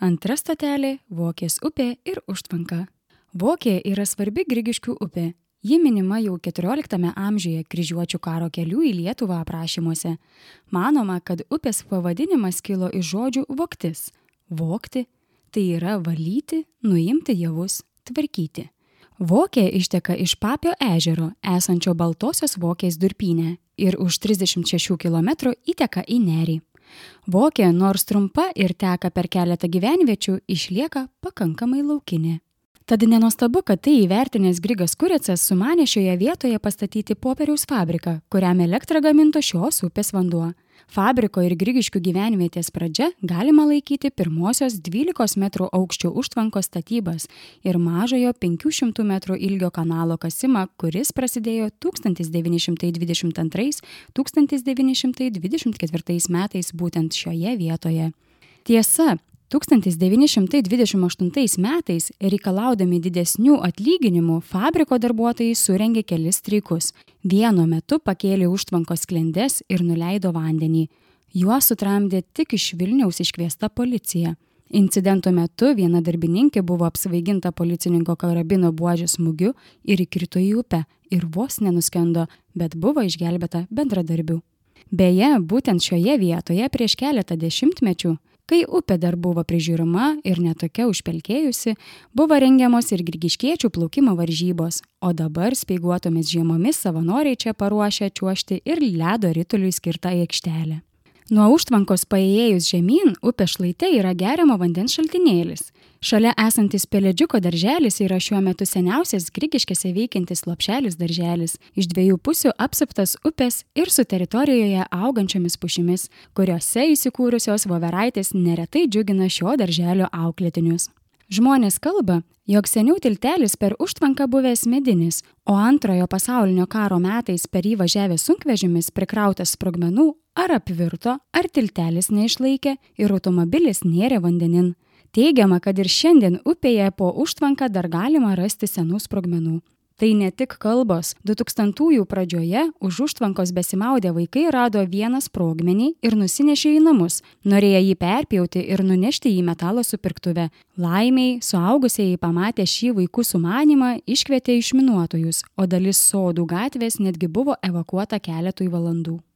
Antra stotelė – Vokės upė ir užtvanka. Vokė yra svarbi Grigiškių upė. Ji minima jau 14 amžiuje kryžiuočių karo kelių į Lietuvą aprašymuose. Manoma, kad upės pavadinimas kilo iš žodžių voktis. Vokti – tai yra valyti, nuimti javus, tvarkyti. Vokė išteka iš Papio ežero, esančio Baltosios Vokės durpyne, ir už 36 km įteka į Nerį. Vokė, nors trumpa ir teka per keletą gyvenviečių, išlieka pakankamai laukinė. Tad nenuostabu, kad tai įvertinęs Grigas Kurecas sumanė šioje vietoje pastatyti popieriaus fabriką, kuriam elektrą gaminto šios upės vanduo. Fabriko ir Grigiškių gyvenvietės pradžia galima laikyti pirmosios 12 metrų aukščio užtvankos statybas ir mažojo 500 metrų ilgio kanalo kasimą, kuris prasidėjo 1922–1924 metais būtent šioje vietoje. Tiesa, 1928 metais, reikalaudami didesnių atlyginimų, fabriko darbuotojai surengė kelis streikus. Vienu metu pakėlė užtvankos sklendes ir nuleido vandenį. Juos sutramdė tik iš Vilniaus iškviesta policija. Incidento metu viena darbininkė buvo apsvaiginta policininko karabino buožės smūgiu ir įkrito į upę ir vos nenuskendo, bet buvo išgelbėta bendradarbių. Beje, būtent šioje vietoje prieš keletą dešimtmečių, kai upė dar buvo prižiūrima ir netokia užpelkėjusi, buvo rengiamos ir grigiškiečių plaukimo varžybos, o dabar speiguotomis žiemomis savanoriai čia paruošia čiuožti ir ledo rituliui skirtą aikštelę. Nuo užtvankos paėjus žemyn, upės šlaite yra geriamo vandens šaltinėlis. Šalia esantis Pelėdžiuko darželis yra šiuo metu seniausias Grigiškėse veikiantis lopšelis darželis, iš dviejų pusių apsuptas upės ir su teritorijoje augančiomis pušimis, kuriuose įsikūrusios voveraitės neretai džiugina šio darželio auklėtinius. Žmonės kalba, jog seniau tiltelis per užtvanką buvęs medinis, o Antrojo pasaulinio karo metais per jį važiavęs sunkvežimis prikrautas sprogmenų ar apvirto, ar tiltelis neišlaikė ir automobilis nėrė vandenin. Teigiama, kad ir šiandien upėje po užtvanką dar galima rasti senų sprogmenų. Tai ne tik kalbos. 2000-ųjų pradžioje už užtvankos besimaudę vaikai rado vieną sprogmenį ir nusinešė į namus, norėjo jį perpjauti ir nunešti į metalo supirktuvę. Laimiai, suaugusieji pamatę šį vaikų sumanymą, iškvietė išminuotojus, o dalis Sodų gatvės netgi buvo evakuota keletui valandų.